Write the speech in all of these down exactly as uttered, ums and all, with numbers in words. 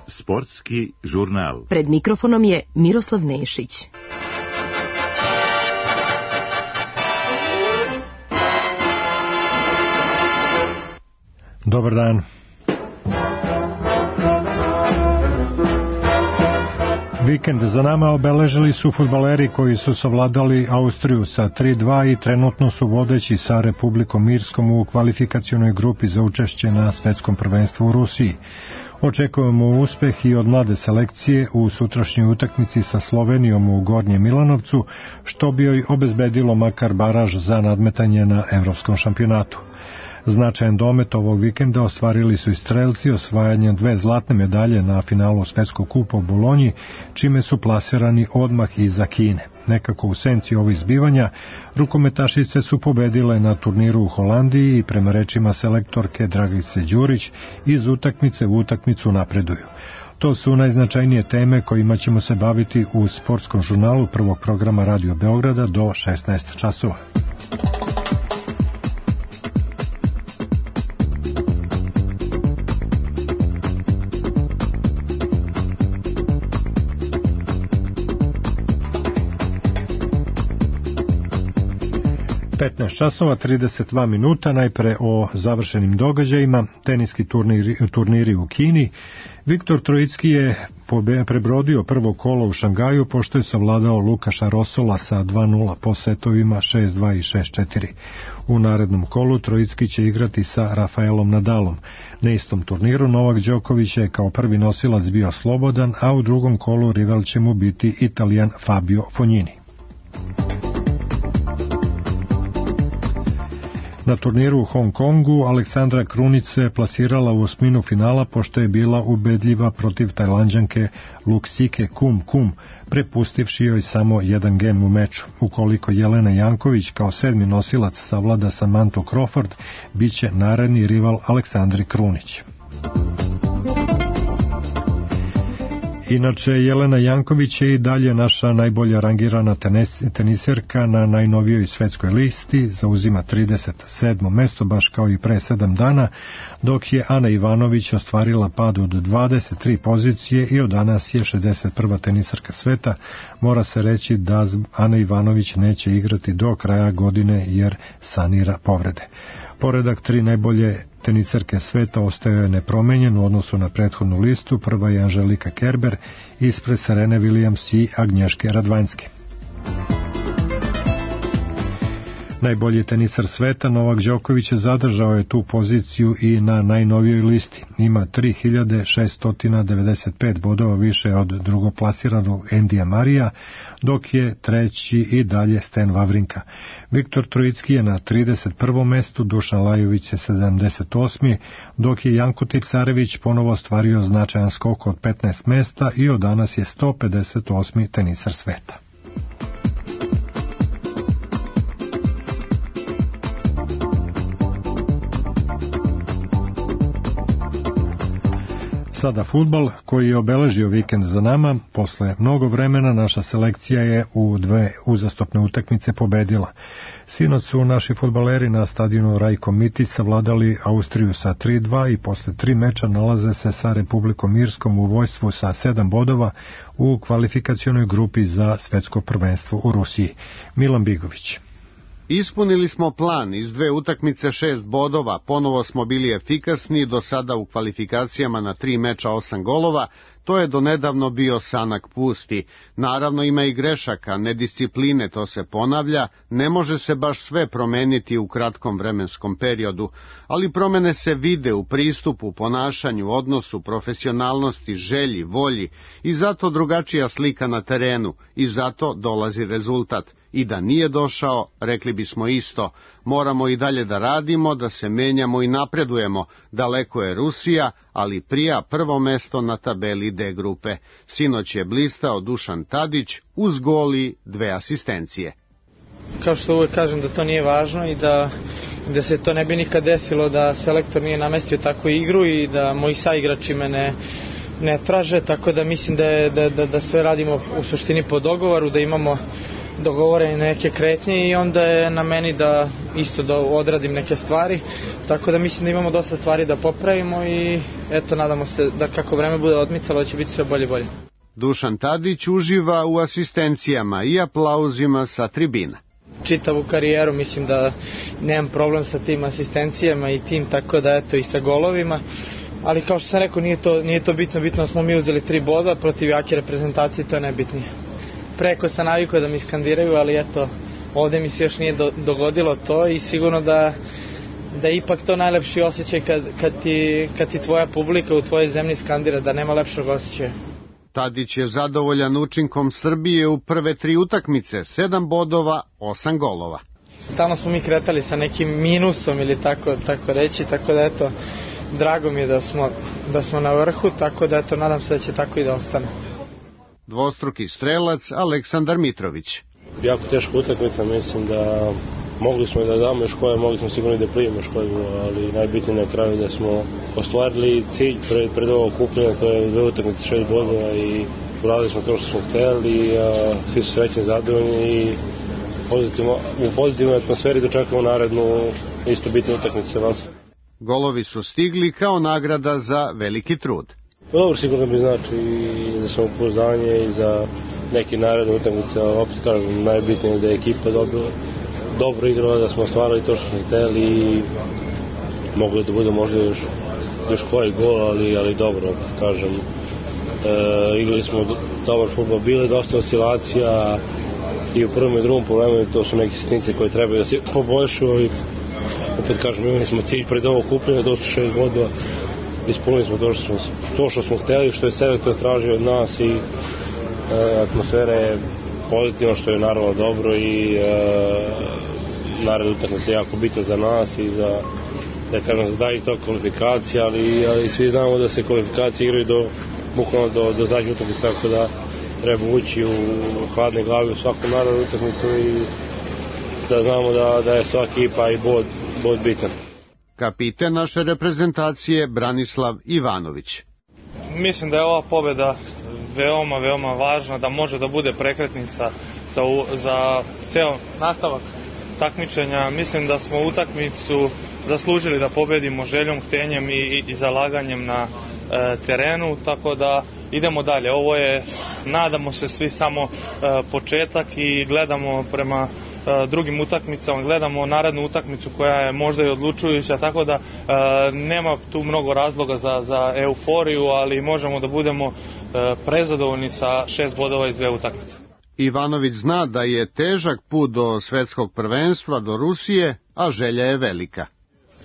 Sportski žurnal. Pred mikrofonom je Miroslav Nešić. Dobar dan. Vikend za nama obeležili su fudbaleri koji su savladali Austriju sa tri dva i trenutno su vodeći sa Republikom Irskom u kvalifikacionoj grupi za učešće na svetskom prvenstvu u Rusiji. Očekujemo uspeh i od mlade selekcije u sutrašnjoj utakmici sa Slovenijom u Gornjem Milanovcu, što bi joj obezbedilo makar baraž za nadmetanje na evropskom šampionatu. Značajan domet ovog vikenda ostvarili su i strelci osvajanjem dve zlatne medalje na finalu Svetskog kupa u Bolonji, čime su plasirani odmah iza Kine. Nekako u senci ovih zbivanja, rukometašice su pobedile na turniru u Holandiji i prema rečima selektorke Dragice Đurić iz utakmice u utakmicu napreduju. To su najznačajnije teme kojima ćemo se baviti u sportskom žurnalu prvog programa Radio Beograda do šesnaest časova. petnaest časova trideset dva minuta, najpre o završenim događajima, teniski turniri, turniri u Kini. Viktor Trojicki je prebrodio prvo kolo u Šangaju pošto je savladao Lukaša Rosola sa dva nula po setovima šest dva i šest četiri. U narednom kolu Trojicki će igrati sa Rafaelom Nadalom. Na istom turniru Novak Đoković je kao prvi nosilac bio slobodan, a u drugom kolu rival će mu biti Italijan Fabio Fognini. Na turniru u Hong Kongu Aleksandra Krunić se plasirala u osminu finala pošto je bila ubedljiva protiv Tajlanđanke Luksike Kum Kum, prepustivši joj samo jedan gem u meču. Ukoliko Jelena Janković kao sedmi nosilac savlada Samantha Crawford, bit će naredni rival Aleksandri Krunić. Inače, Jelena Janković je i dalje naša najbolja rangirana tenis, teniserka na najnovijoj svetskoj listi, zauzima trideset sedmo mesto baš kao i pre sedam dana, dok je Ana Ivanović ostvarila pad od dvadeset tri pozicije i od danas je šezdeset prva teniserka sveta. Mora se reći da Ana Ivanović neće igrati do kraja godine jer sanira povrede. Poredak tri najbolje teniserke sveta ostaje nepromenjen u odnosu na prethodnu listu. Prva je Anželika Kerber, ispred Serene Williams i Agnješke Radvanjske. Najbolji tenisar sveta Novak Đoković zadržao je tu poziciju i na najnovijoj listi. Ima tri hiljade šesto devedeset pet bodova više od drugoplasiranog Endija Marija, dok je treći i dalje Sten Wawrinka. Viktor Trojicki je na trideset prvom mestu, Dušan Lajović je sedamdeset osmi, dok je Janko Tipsarević ponovo ostvario značajan skok od petnaest mesta i od danas je sto pedeset osmi tenisar sveta. Sada fudbal koji je obeležio vikend za nama. Posle mnogo vremena naša selekcija je u dve uzastopne utakmice pobedila. Sinoć su naši fudbaleri na stadionu Rajko Mitić savladali Austriju sa tri dva i posle tri meča nalaze se sa Republikom Irskom u vojstvu sa sedam bodova u kvalifikacionoj grupi za svetsko prvenstvo u Rusiji. Milan Bigović. Ispunili smo plan, iz dve utakmice šest bodova, ponovo smo bili efikasni, do sada u kvalifikacijama na tri meča osam golova, to je donedavno bio sanak pusti. Naravno ima i grešaka, nediscipline, to se ponavlja, ne može se baš sve promeniti u kratkom vremenskom periodu, ali promene se vide u pristupu, ponašanju, odnosu, profesionalnosti, želji, volji i zato drugačija slika na terenu i zato dolazi rezultat. I da nije došao, rekli bismo isto, moramo i dalje da radimo, da se menjamo i napredujemo, daleko je Rusija, ali prija prvo mesto na tabeli D grupe. Sinoć je blistao Dušan Tadić uz gol i dve asistencije. Kao što uvek kažem da to nije važno i da, da se to ne bi nikad desilo, da selektor nije namestio takvu igru i da moji saigrači me ne, ne traže, tako da mislim da, je, da, da, da sve radimo u suštini po dogovoru, da imamo dogovorene neke kretnje i onda je na meni da isto da odradim neke stvari, tako da mislim da imamo dosta stvari da popravimo i eto, nadamo se da kako vreme bude odmicalo će biti sve bolje i bolje. Dušan Tadić uživa u asistencijama i aplauzima sa tribina. Čitavu karijeru mislim da nemam problem sa tim asistencijama i tim, tako da eto i sa golovima, ali kao što sam rekao nije to, nije to bitno, bitno smo mi uzeli tri boda protiv jake reprezentacije, to je najbitnije. Preko sam navikao da mi skandiraju, ali eto, ovde mi se još nije do, dogodilo to i sigurno da, da je ipak to najlepši osjećaj kad, kad, ti, kad ti tvoja publika u tvojoj zemlji skandira, da nema lepšeg osjećaja. Tadić je zadovoljan učinkom Srbije u prve tri utakmice, sedam bodova, osam golova. Tamo smo mi kretali sa nekim minusom ili tako, tako reći, tako da eto, drago mi je da smo, da smo na vrhu, tako da eto, nadam se da će tako i da ostane. Dvostruki strelac Aleksandar Mitrović. Jako teška utakmica, mislim da mogli smo da damo još koje, mogli smo sigurno da primimo još koje, ali najbitnije na kraju da smo ostvarili cilj pred, pred ovo okupljenje, to je dve utakmice, šest bodova i uradili smo to što smo hteli, a svi su srećni, zadovoljni i pozitivno, u pozitivnoj atmosferi dočekamo narednu isto bitnu utakmicu sa vas. Golovi su stigli kao nagrada za veliki trud. Dobro, sigurno bi znači i za samopouzdanje i za neki naredne utakmice, ali opet kažem, najbitnije je da je ekipa dobila, dobro igrala, da smo ostvarili to što smo hteli i mogli da bude možda još, još koji gol, ali, ali dobro, opet kažem. E, igrali smo dobar fudbal, bile dosta oscilacija i u prvom i drugom problemu, to su neke sitnice koje trebaju da se poboljšu i opet kažem, imali smo cilj pred ovo kupljenje, to su šest bodova, ispunili smo to što smo, to što smo hteli, što je selektor tražio od nas i e, atmosfera je pozitivno, što je naravno dobro i e, naravno utakmica je jako bitna za nas i za, da kažem, za dalje to kvalifikacija, ali, ali svi znamo da se kvalifikacije igraju do, bukvalno do, do zadnje utakmice, tako da treba ući u hladne glave u svaku naravnu utakmicu i da znamo da, da je svaki ekipa i bod, bod bitan. Kapiten naše reprezentacije Branislav Ivanović. Mislim da je ova pobeda veoma, veoma važna, da može da bude prekretnica za, za ceo nastavak takmičenja. Mislim da smo utakmicu zaslužili da pobedimo željom, htenjem i, i, i zalaganjem na e, terenu, tako da idemo dalje. Ovo je, nadamo se svi, samo e, početak i gledamo prema drugim utakmicama, gledamo narednu utakmicu koja je možda i odlučujuća, tako da e, nema tu mnogo razloga za, za euforiju, ali možemo da budemo e, prezadovoljni sa šest bodova iz dve utakmice. Ivanović zna da je težak put do svetskog prvenstva, do Rusije, a želja je velika.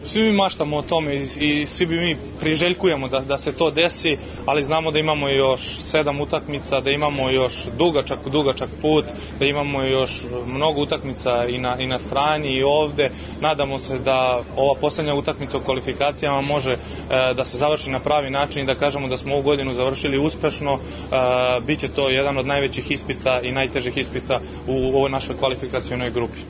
Svi mi maštamo o tome i, i svi bi mi priželjkujemo da, da se to desi, ali znamo da imamo još sedam utakmica, da imamo još dugačak, dugačak put, da imamo još mnogo utakmica i na, i na strani i ovde. Nadamo se da ova poslednja utakmica u kvalifikacijama može e, da se završi na pravi način i da kažemo da smo ovu godinu završili uspešno. E, biće to jedan od najvećih ispita i najtežih ispita u, u ovoj našoj kvalifikacionoj grupi.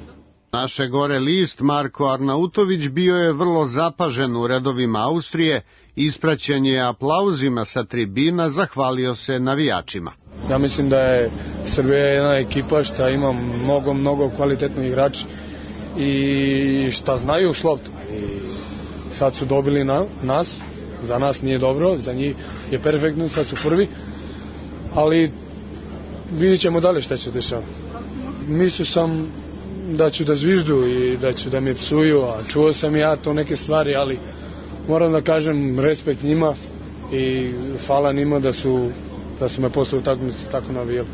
Naše gore list Marko Arnautović bio je vrlo zapažen u redovima Austrije, ispraćen je aplauzima sa tribina, zahvalio se navijačima. Ja mislim da je Srbija jedna ekipa šta ima mnogo, mnogo kvalitetno igrači i šta znaju s loptom. I sad su dobili na, nas, za nas nije dobro, za njih je perfektno, sad su prvi, ali vidjet ćemo dalje šta će dešavati. Mislio sam da ću da zviždu i da ću da me psuju, a čuo sam ja to neke stvari, ali moram da kažem respekt njima i hvala njima da su, da su me posle utakmice tako navijali.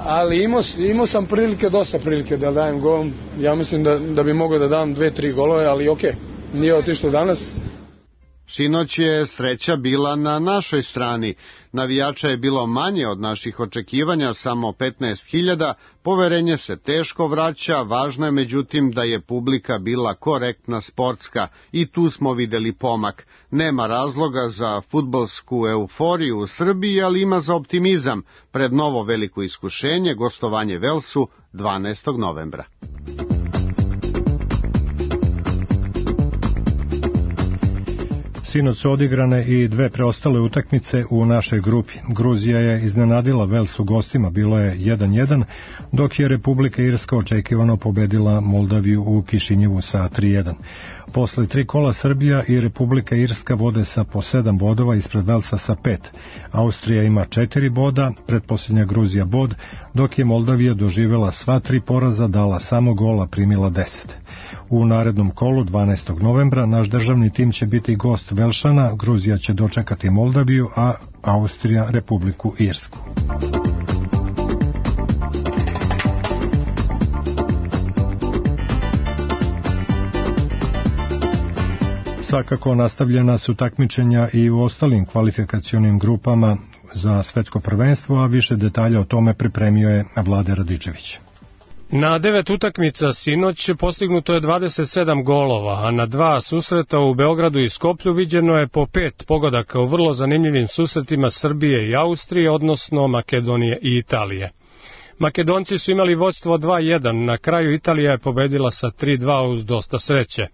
Ali imao, imao sam prilike, dosta prilike da dajem gol. Ja mislim da, da bi mogao da dam dve, tri golove, ali okej, okay, nije otišlo danas. Sinoć je sreća bila na našoj strani. Navijača je bilo manje od naših očekivanja, samo petnaest hiljada. Poverenje se teško vraća, važno je međutim da je publika bila korektna, sportska i tu smo videli pomak. Nema razloga za fudbalsku euforiju u Srbiji, ali ima za optimizam pred novo veliko iskušenje, gostovanje Velsu dvanaestog novembra. Sinoć su odigrane i dve preostale utakmice u našoj grupi. Gruzija je iznenadila Vels u gostima, bilo je jedan jedan, dok je Republika Irska očekivano pobedila Moldaviju u Kišinjevu sa tri jedan. Posle tri kola Srbija i Republika Irska vode sa po sedam bodova ispred Velsa sa pet. Austrija ima četiri boda, pretposljednja Gruzija bod, dok je Moldavija doživela sva tri poraza, dala samo gola, primila deset. U narednom kolu dvanaestog novembra naš državni tim će biti gost Velšana, Gruzija će dočekati Moldaviju, a Austrija Republiku Irsku. Svakako nastavljena su takmičenja i u ostalim kvalifikacionim grupama za svetsko prvenstvo, a više detalja o tome pripremio je Vlade Radičević. Na devet utakmica sinoć postignuto je dvadeset sedam golova, a na dva susreta u Beogradu i Skoplju viđeno je po pet pogodaka u vrlo zanimljivim susretima Srbije i Austrije, odnosno Makedonije i Italije. Makedonci su imali vođstvo dva jedan, na kraju Italija je pobedila sa tri dva uz dosta sreće.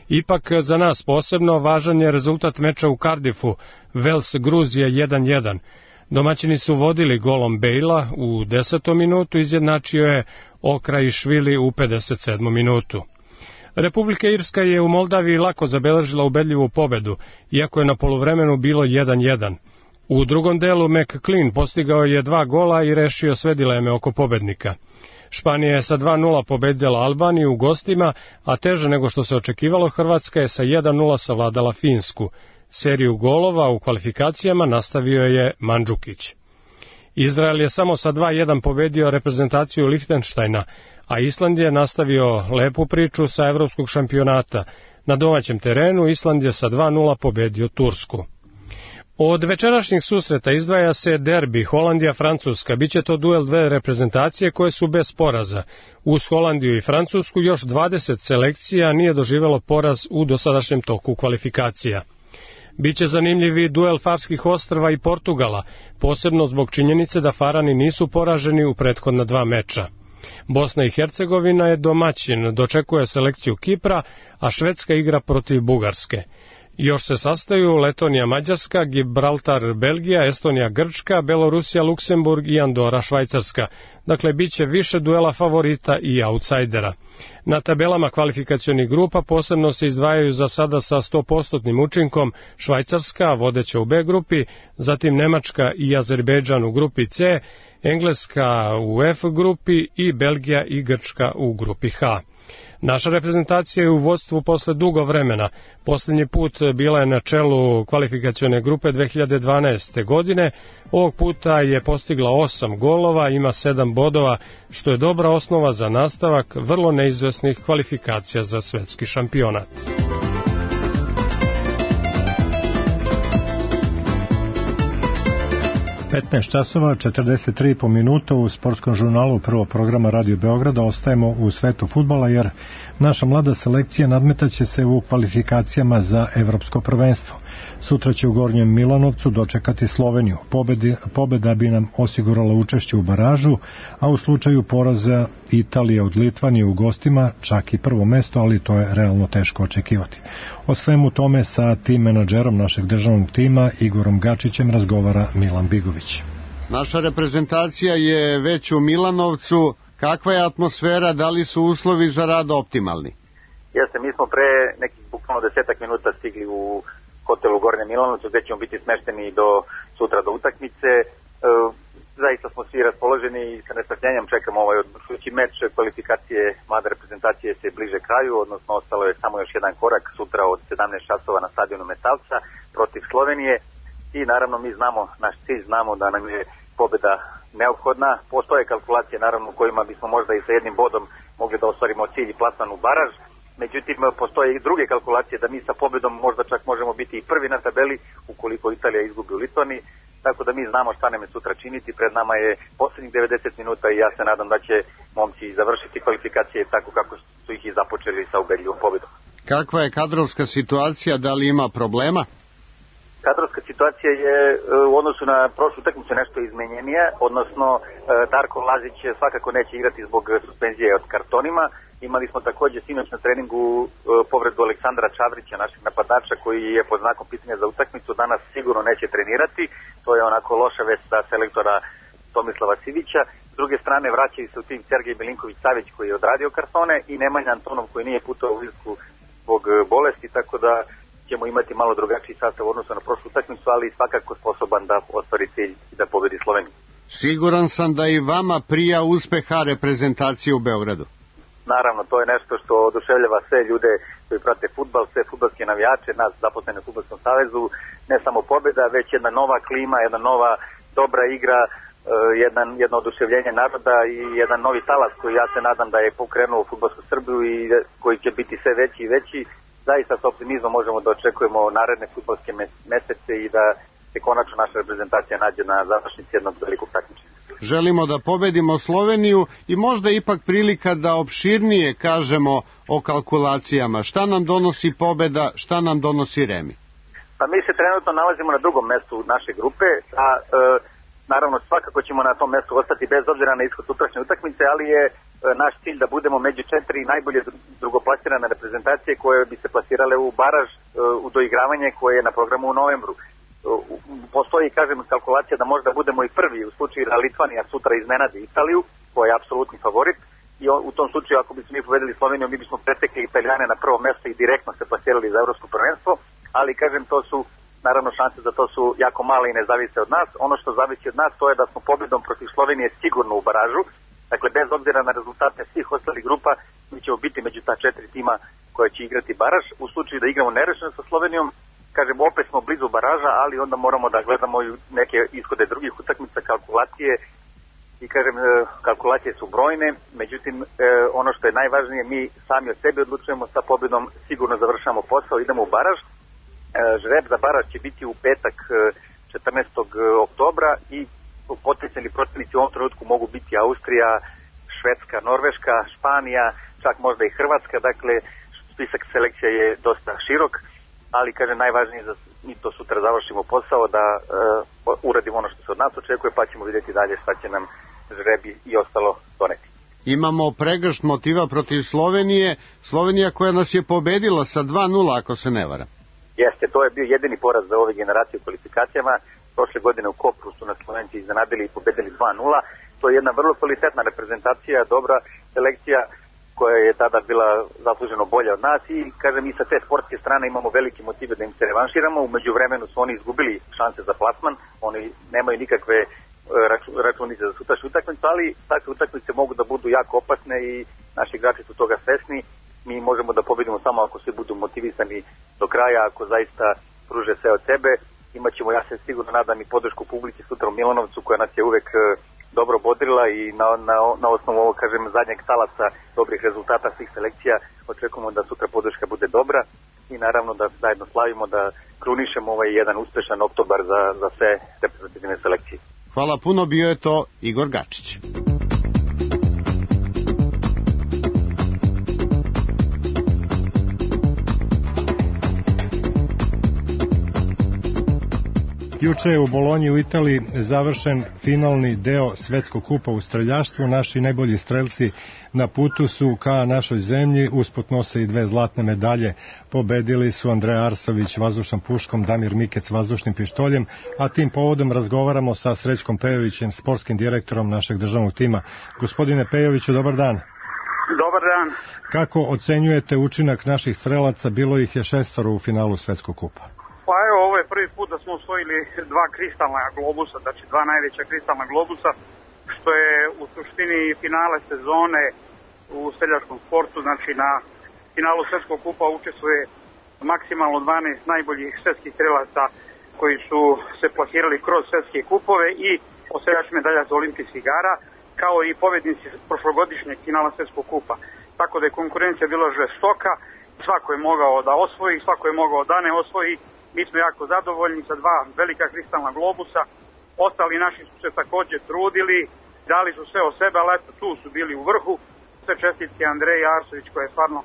Ipak za nas posebno važan je rezultat meča u Cardiffu, Vels Gruzija jedan jedan. Domaćini su vodili golom Bejla u desetom minutu, izjednačio je Okrajišvili u pedeset sedmom minutu. Republika Irska je u Moldaviji lako zabeležila ubedljivu pobedu, iako je na poluvremenu bilo jedan jedan. U drugom delu McClean postigao je dva gola i rešio sve dileme oko pobednika. Španija je sa dva nula pobedila Albaniju u gostima, a teže nego što se očekivalo Hrvatska je sa jedan nula savladala Finsku. Seriju golova u kvalifikacijama nastavio je Mandžukić. Izrael je samo sa dva jedan pobedio reprezentaciju Lihtenštajna, a Island je nastavio lepu priču sa evropskog šampionata. Na domaćem terenu Island je sa dva nula pobedio Tursku. Od večerašnjih susreta izdvaja se derbi Holandija-Francuska. Biće to duel dve reprezentacije koje su bez poraza. Uz Holandiju i Francusku još dvadeset selekcija nije doživelo poraz u dosadašnjem toku kvalifikacija. Biće zanimljivi duel Farskih ostrva i Portugala, posebno zbog činjenice da Farani nisu poraženi u prethodna dva meča. Bosna i Hercegovina je domaćin, dočekuje selekciju Kipra, a Švedska igra protiv Bugarske. Još se sastaju Letonija Mađarska, Gibraltar Belgija, Estonija Grčka, Belorusija Luksemburg i Andora Švajcarska. Dakle, bit će više duela favorita i autsajdera. Na tabelama kvalifikacionih grupa posebno se izdvajaju za sada sa sto posto učinkom Švajcarska, vodeća u B grupi, zatim Nemačka i Azerbejdžan u grupi C, Engleska u F grupi i Belgija i Grčka u grupi H. Naša reprezentacija je u vodstvu posle dugo vremena. Posljednji put bila je na čelu kvalifikacione grupe dve hiljade dvanaeste. godine. Ovog puta je postigla osam golova, ima sedam bodova, što je dobra osnova za nastavak vrlo neizvesnih kvalifikacija za svetski šampionat. petnaest časova četrdeset tri po minuta u sportskom žurnalu prvog programa Radio Beograda ostajemo u svetu fudbala, jer naša mlada selekcija nadmetaće se u kvalifikacijama za evropsko prvenstvo. Sutra će u Gornjem Milanovcu dočekati Sloveniju. Pobedi, pobeda bi nam osigurala učešće u baražu, a u slučaju poraza Italije od Litvanije u gostima čak i prvo mesto, ali to je realno teško očekivati. O svemu tome sa tim menadžerom našeg državnog tima Igorom Gačićem razgovara Milan Bigović. Naša reprezentacija je već u Milanovcu. Kakva je atmosfera, da li su uslovi za rad optimalni? Jeste, mi smo pre nekih bukvalno desetak minuta stigli u hotelu Gornje Milanovcu, gde ćemo biti smešteni do sutra do utakmice. E, zaista smo svi raspoloženi i sa nestrpljenjem čekamo ovaj odlučujući meč. Kvalifikacije mlade reprezentacije se bliže kraju, odnosno ostalo je samo još jedan korak sutra od sedamnaest časova na stadionu Metalca protiv Slovenije. I naravno mi znamo, naš cilj, znamo da nam je pobeda neophodna. Postoje kalkulacije naravno u kojima bismo možda i sa jednim bodom mogli da ostvarimo cilj i plasman u baraž. Međutim, postoje i druge kalkulacije da mi sa pobedom možda čak možemo biti i prvi na tabeli ukoliko Italija izgubi u Litvaniji. Tako da mi znamo šta nam je sutra činiti. Pred nama je posljednjih devedeset minuta i ja se nadam da će momci završiti kvalifikacije tako kako su ih i započeli sa ubedljivom pobedom. Kakva je kadrovska situacija, da li ima problema? Kadrovska situacija je u odnosu na prošlu utakmicu nešto izmenjenija, odnosno Darko Lazić svakako neće igrati zbog suspenzije od kartonima Imali smo takođe sinoć na treningu e, povredu Aleksandra Čavrića, našeg napadača, koji je pod znakom pitanja za utakmicu, danas sigurno neće trenirati. To je onako loša vest za selektora Tomislava Sivića. S druge strane, vraćaju se u tim Sergej Milinković-Savić, koji je odradio kartone, i Nemanja Antonov, koji nije putovao u Irsku zbog bolesti, tako da ćemo imati malo drugačiji sastav u odnosu na prošlu utakmicu, ali svakako sposoban da ostvari cilj i da pobedi Sloveniju. Siguran sam da i vama prija uspeha reprezentacije u Beogradu. Naravno, to je nešto što oduševljava sve ljude koji prate fudbal, sve fudbalske navijače, nas zaposlene u Fudbalskom savezu, ne samo pobeda, već jedna nova klima, jedna nova dobra igra, jedan, jedno oduševljenje naroda i jedan novi talas koji ja se nadam da je pokrenuo fudbalsku Srbiju i koji će biti sve veći i veći. Zaista sa optimizmom možemo da očekujemo naredne fudbalske mesece i da se konačno naša reprezentacija nađe na završnici jednog velikog takmičenja. Želimo da pobedimo Sloveniju i možda ipak prilika da opširnije kažemo o kalkulacijama. Šta nam donosi pobeda, šta nam donosi remi? Pa mi se trenutno nalazimo na drugom mestu naše grupe, a e, naravno svakako ćemo na tom mestu ostati bez obzira na ishod sutrašnje utakmice, ali je e, naš cilj da budemo među četiri najbolje drugoplasirane reprezentacije koje bi se plasirale u baraž, e, u doigravanje koje je na programu u novembru. Postoji, kažem, kalkulacija da možda budemo i prvi u slučaju da Litvanija sutra iznenadi Italiju, koja je apsolutni favorit, i u tom slučaju ako bismo mi pobedili Sloveniju, mi bismo pretekli Italijane na prvo mesto i direktno se plasirali za evropsko prvenstvo, ali kažem, to su naravno šanse za to su jako male i ne zavise od nas. Ono što zavisi od nas to je da smo pobedom protiv Slovenije sigurno u baražu, dakle bez obzira na rezultate svih ostalih grupa, mi ćemo biti među ta četiri tima koja će igrati baraž. U slučaju da igramo nerešeno sa Slovenijom, kažem, opet smo blizu baraža, ali onda moramo da gledamo i neke ishode drugih utakmica, kalkulacije, i kažem, kalkulacije su brojne, međutim, ono što je najvažnije, mi sami od sebe odlučujemo, sa pobjedom sigurno završamo posao, idemo u baraž. Žreb za baraž će biti u petak četrnaestog oktobra i potencijalni protivnici u ovom trenutku mogu biti Austrija, Švedska, Norveška, Španija, čak možda i Hrvatska, dakle, spisak selekcija je dosta širok, ali kaže najvažnije da mi to sutra završimo posao, da uh, uradimo ono što se od nas očekuje, pa ćemo vidjeti dalje šta će nam žrebi i ostalo doneti. Imamo pregršt motiva protiv Slovenije, Slovenija koja nas je pobedila sa dva nula, ako se ne varam. Jeste, to je bio jedini poraz za ove generacije u kvalifikacijama. Prošle godine u Kopru su nas Slovenci iznenadili i pobedili dva nula. To je jedna vrlo kvalitetna reprezentacija, dobra selekcija, koja je tada bila zasluženo bolja od nas, i kažem, i sa te sportske strane imamo velike motive da im se revanširamo. U međuvremenu su oni izgubili šanse za plasman, oni nemaju nikakve računice za sutrašnju utakmicu, ali takve utakmice mogu da budu jako opasne i naši igrači su toga svesni. Mi možemo da pobedimo samo ako svi budu motivisani do kraja, ako zaista pruže sve od sebe. Imaćemo, ja se sigurno nadam, i podršku publike sutra u Milanovcu, koja nas je uvek dobro bodrila, i na, na, na osnovu ovog, kažem, zadnjeg talaca dobrih rezultata svih selekcija očekujemo da sutra podrška bude dobra i naravno da zajedno slavimo, da krunišemo ovaj jedan uspešan oktobar za, za sve reprezentativne selekcije. Hvala puno, bio je to Igor Gačić. Juče je u Bolonji u Italiji završen finalni deo Svetskog kupa u streljaštvu. Naši najbolji strelci na putu su ka našoj zemlji, usput nose i dve zlatne medalje. Pobedili su Andreja Arsović vazdušnom puškom, Damir Mikec vazdušnim pištoljem, a tim povodom razgovaramo sa Srećkom Pejovićem, sportskim direktorom našeg državnog tima. Gospodine Pejoviću, dobar dan. Dobar dan. Kako ocenjujete učinak naših strelaca? Bilo ih je šestoro u finalu Svetskog kupa. Pa evo, ovo je prvi put da smo osvojili dva kristalna globusa, znači dva najveća kristalna globusa, što je u suštini finale sezone u streljačkom sportu. Znači na finalu Svetskog kupa učestvuje maksimalno dvanaest najboljih svetskih strelaca koji su se plasirali kroz svetske kupove i osvajač medalja za olimpijskih igara, kao i pobednici prošlogodišnjeg finala Svetskog kupa. Tako da je konkurencija bila žestoka, svako je mogao da osvoji, svako je mogao da ne osvoji. Mi smo jako zadovoljni sa dva velika kristalna globusa. Ostali naši su se takođe trudili, dali su sve od sebe, ali eto, tu su bili u vrhu. Sve čestitke Andreji Arsović, koja je stvarno uh,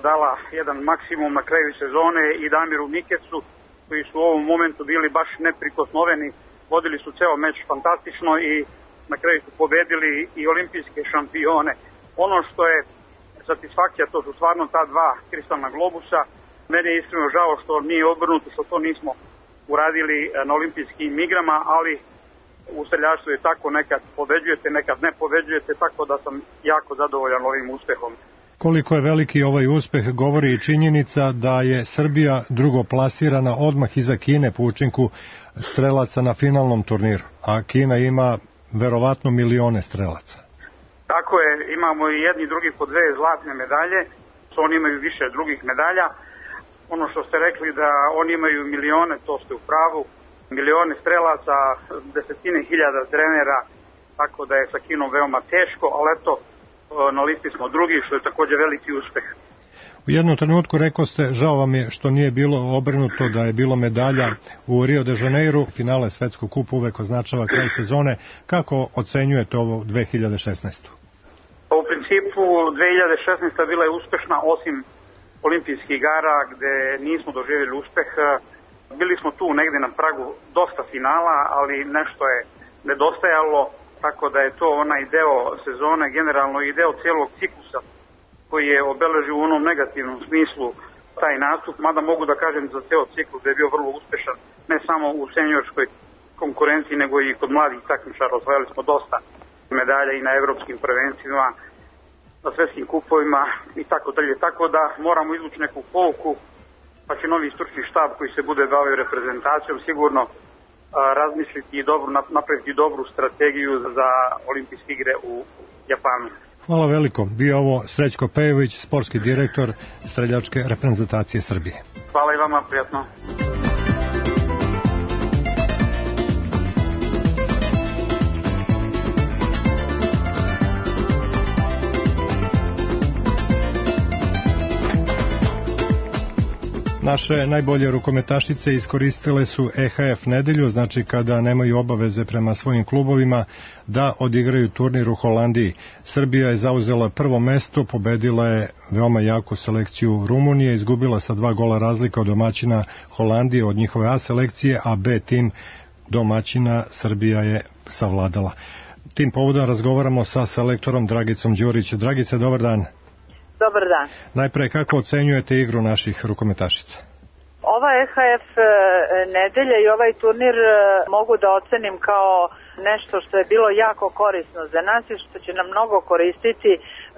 dala jedan maksimum na kraju sezone, i Damiru Mikecu, koji su u ovom momentu bili baš neprikosnoveni. Vodili su ceo meč fantastično i na kraju su pobedili i olimpijske šampione. Ono što je satisfakcija, to su stvarno ta dva kristalna globusa. Meni je iskreno žao što nije obrnuto, što to nismo uradili na olimpijskim igrama, ali u streljaštvu je tako, nekad pobeđujete, nekad ne pobeđujete, tako da sam jako zadovoljan ovim uspehom. Koliko je veliki ovaj uspeh govori i činjenica da je Srbija drugoplasirana odmah iza Kine po učinku strelaca na finalnom turniru, a Kina ima verovatno milione strelaca. Tako je, imamo i jedni drugi po dve zlatne medalje, oni imaju više drugih medalja. Ono što ste rekli da oni imaju milione, to ste u pravu, milione strelaca, desetine hiljada trenera, tako da je sa Kinom veoma teško, ali eto, na listi smo drugi, što je takođe veliki uspeh. U jednom trenutku rekao ste, žao vam je što nije bilo obrnuto, da je bilo medalja u Rio de Janeiru, finale Svetskog kupa uvek označava kraj sezone. Kako ocenjujete ovo dve hiljade šesnaeste. U principu dve hiljade šesnaeste. bila je uspešna, osim olimpijskih igara gde nismo doživjeli uspeh. Bili smo tu negde na pragu dosta finala, ali nešto je nedostajalo, tako da je to onaj deo sezone, generalno i deo cijelog ciklusa koji je obeležio u onom negativnom smislu taj nastup, mada mogu da kažem za ceo ciklus da je bio vrlo uspešan, ne samo u seniorskoj konkurenciji, nego i kod mladih takmičara. Osvojili smo dosta medalja i na evropskim prvenstvima, na svetskim kupovima i tako dalje. Tako da moramo izvući neku pouku, pa će novi stručni štab koji se bude bavio reprezentacijom sigurno a, razmisliti i dobro, napraviti dobru strategiju za olimpijske igre u Japanu. Hvala veliko. Bio ovo Srećko Pejović, sportski direktor streljačke reprezentacije Srbije. Hvala i vama, prijatno. Naše najbolje rukometašice iskoristile su E H F nedelju, znači kada nemaju obaveze prema svojim klubovima, da odigraju turnir u Holandiji. Srbija je zauzela prvo mesto, pobedila je veoma jaku selekciju Rumunije, izgubila sa dva gola razlika od domaćina Holandije, od njihove A selekcije, a B tim domaćina Srbija je savladala. Tim povodom razgovaramo sa selektorom Dragicom Đurić. Dragice, dobar dan. Dobar dan. Najpre, kako ocenjujete igru naših rukometašica? Ova E H F nedelja i ovaj turnir mogu da ocenim kao nešto što je bilo jako korisno za nas i što će nam mnogo koristiti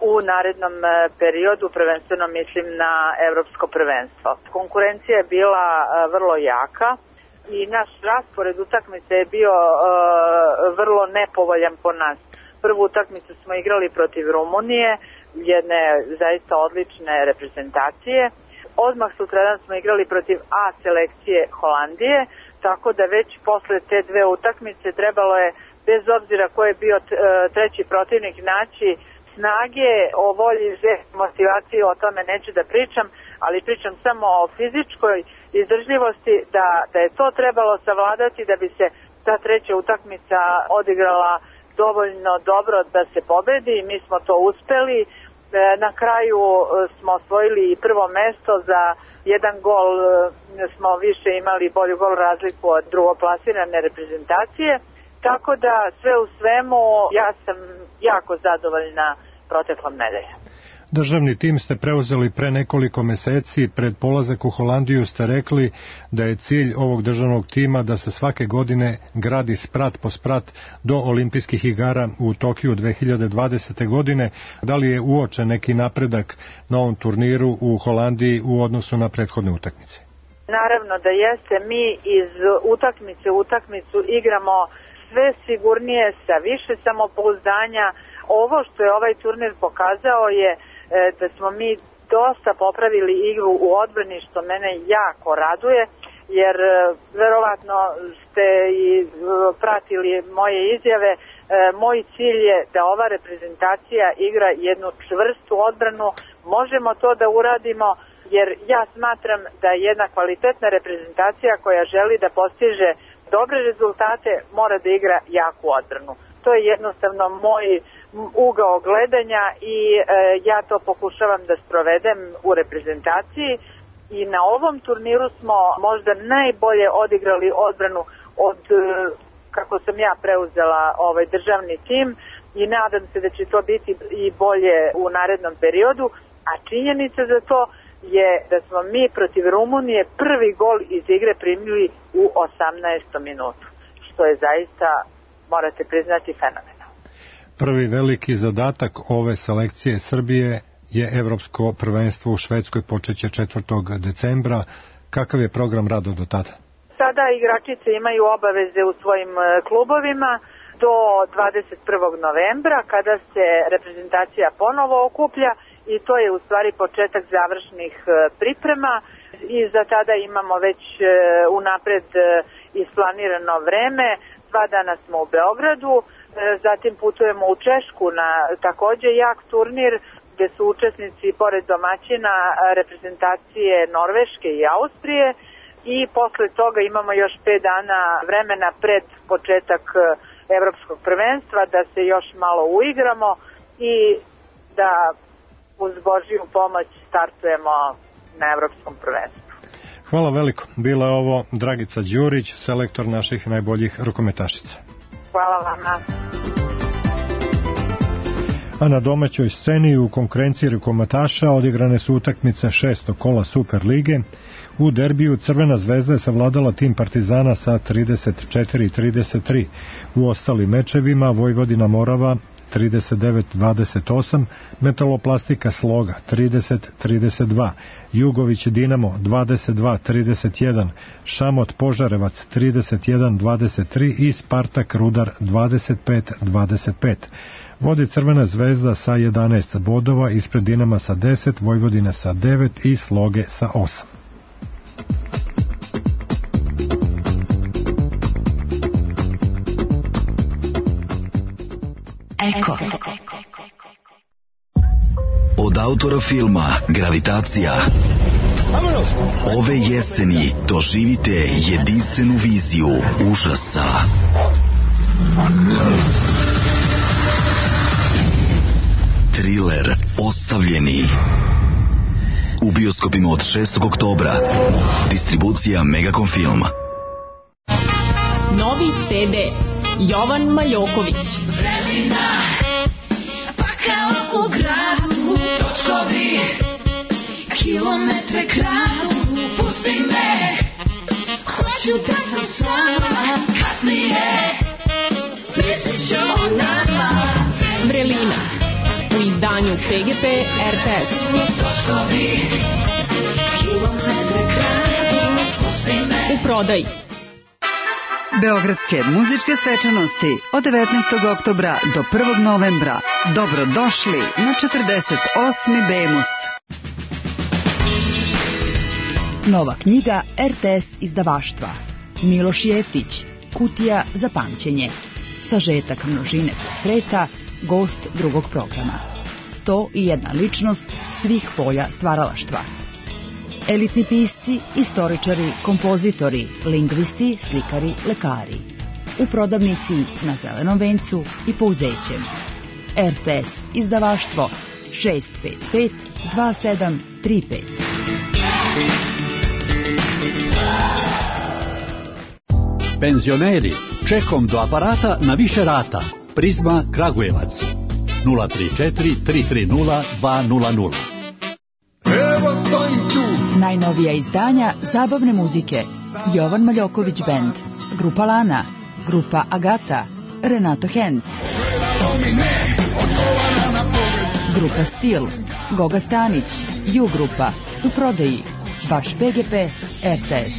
u narednom periodu, prvenstveno mislim na evropsko prvenstvo. Konkurencija je bila vrlo jaka i naš raspored utakmice je bio uh, vrlo nepovoljan po nas. Prvu utakmicu smo igrali protiv Rumunije, jedne zaista odlične reprezentacije. Odmah sutradan smo igrali protiv A selekcije Holandije, tako da već posle te dve utakmice trebalo je, bez obzira ko je bio treći protivnik, naći snage, o volji, motivaciji, o tome neću da pričam, ali pričam samo o fizičkoj izdržljivosti, da, da je to trebalo savladati da bi se ta treća utakmica odigrala dovoljno dobro da se pobedi i mi smo to uspeli. Na kraju smo osvojili i prvo mesto, za jedan gol smo više imali bolju gol razliku od drugoplasirane reprezentacije, tako da sve u svemu ja sam jako zadovoljna proteklom nedeljom. Državni tim ste preuzeli pre nekoliko meseci, pred polazak u Holandiju ste rekli da je cilj ovog državnog tima da se svake godine gradi sprat po sprat do olimpijskih igara u Tokiju dve hiljade dvadesete. godine. Da li je uočen neki napredak na ovom turniru u Holandiji u odnosu na prethodne utakmice? Naravno da jeste, mi iz utakmice u utakmicu igramo sve sigurnije, sa više samopouzdanja. Ovo što je ovaj turnir pokazao je da smo mi dosta popravili igru u odbrani, što mene jako raduje, jer verovatno ste i pratili moje izjave. Moj cilj je da ova reprezentacija igra jednu čvrstu odbranu. Možemo to da uradimo, jer ja smatram da jedna kvalitetna reprezentacija koja želi da postiže dobre rezultate mora da igra jaku odbranu. To je jednostavno moj ugao gledanja i e, ja to pokušavam da sprovedem u reprezentaciji i na ovom turniru smo možda najbolje odigrali odbranu od e, kako sam ja preuzela ovaj državni tim. i nadam se da će to biti i bolje u narednom periodu, a činjenica za to je da smo mi protiv Rumunije prvi gol iz igre primili u osamnaestom minutu, što je zaista, morate priznati, fenomenalno. Prvi veliki zadatak ove selekcije Srbije je Evropsko prvenstvo u Švedskoj, počeće četvrtog decembra. Kakav je program rada do tada? Sada igračice imaju obaveze u svojim klubovima do dvadeset prvog novembra, kada se reprezentacija ponovo okuplja, i to je u stvari početak završnih priprema, i za tada imamo već unapred isplanirano vreme. Dva dana smo u Beogradu, zatim putujemo u Češku na takođe jak turnir, gde su učesnici pored domaćina reprezentacije Norveške i Austrije, i posle toga imamo još pet dana vremena pred početak evropskog prvenstva da se još malo uigramo i da uz Božiju pomoć startujemo na evropskom prvenstvu. Hvala veliko. Bila je ovo Dragica Đurić, selektor naših najboljih rukometašica. Hvala vama. A na domaćoj sceni u konkurenciji rukometaša odigrane su utakmice šestog kola Super lige. U derbiju Crvena zvezda je savladala tim Partizana sa trideset četiri trideset tri. U ostalim mečevima Vojvodina Morava trideset devet dvadeset osam, Metaloplastika Sloga trideset trideset dva, Jugović Dinamo dvadeset dva trideset jedan, Šamot Požarevac trideset jedan dvadeset tri i Spartak Rudar dvadeset pet dvadeset pet. Vodi Crvena zvezda sa jedanaest bodova, ispred Dinama sa deset, Vojvodine sa devet i Sloge sa osam. Eko. Od autora filma Gravitacija ove jeseni doživite jedinstvenu viziju užasa. Triler Ostavljeni u bioskopima od šestog oktobra. Distribucija Megacom Film. Novi ce de Jovan Maljoković. Vremena, pa kao u gradu, točkovi, kilometre kradu, pusti me, hoću da sam s vama, kasnije, mislit ću o nama. Vrelina, u izdanju pe ge pe er te es. Točkovi, kilometre kradu, pusti me. U prodaji. Beogradske muzičke svečanosti od devetnaestog oktobra do prvog novembra. Dobrodošli na četrdeset osmi Bemus. Nova knjiga er te es izdavaštva. Miloš Jeftić, Kutija za pamćenje. Sažetak množine portreta, gost drugog programa. sto i jedna ličnost svih polja stvaralaštva. Elitni pisci, istoričari, kompozitori, lingvisti, slikari, lekari. U prodavnici na Zelenom vencu i Pouzećem. er te es izdavaštvo šest pet pet dva sedam tri pet. Penzioneri, čekom do aparata na više rata. Prizma Kragujevac nula tri četiri tri tri nula dva nula nula. Evo stojim tu. Najnovija izdanja zabavne muzike. Jovan Maljoković Band, Grupa Lana, Grupa Agata, Renato Henc, Grupa Stil, Goga Stanić, Ju Grupa, u prodaji, vaš pe ge pe er te es.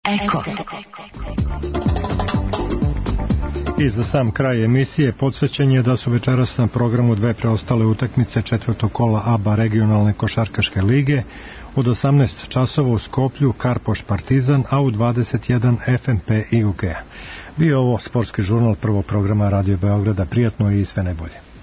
Eko. I za sam kraj emisije podsjećanje da su večeras na programu dve preostale utakmice četvrtog kola A B A regionalne košarkaške lige. Od osamnaest časova u Skoplju Karpoš Partizan, a u dvadeset jedan ef em pe i u ke. Bio ovo sportski žurnal prvog programa Radio Beograda. Prijatno i sve najbolje.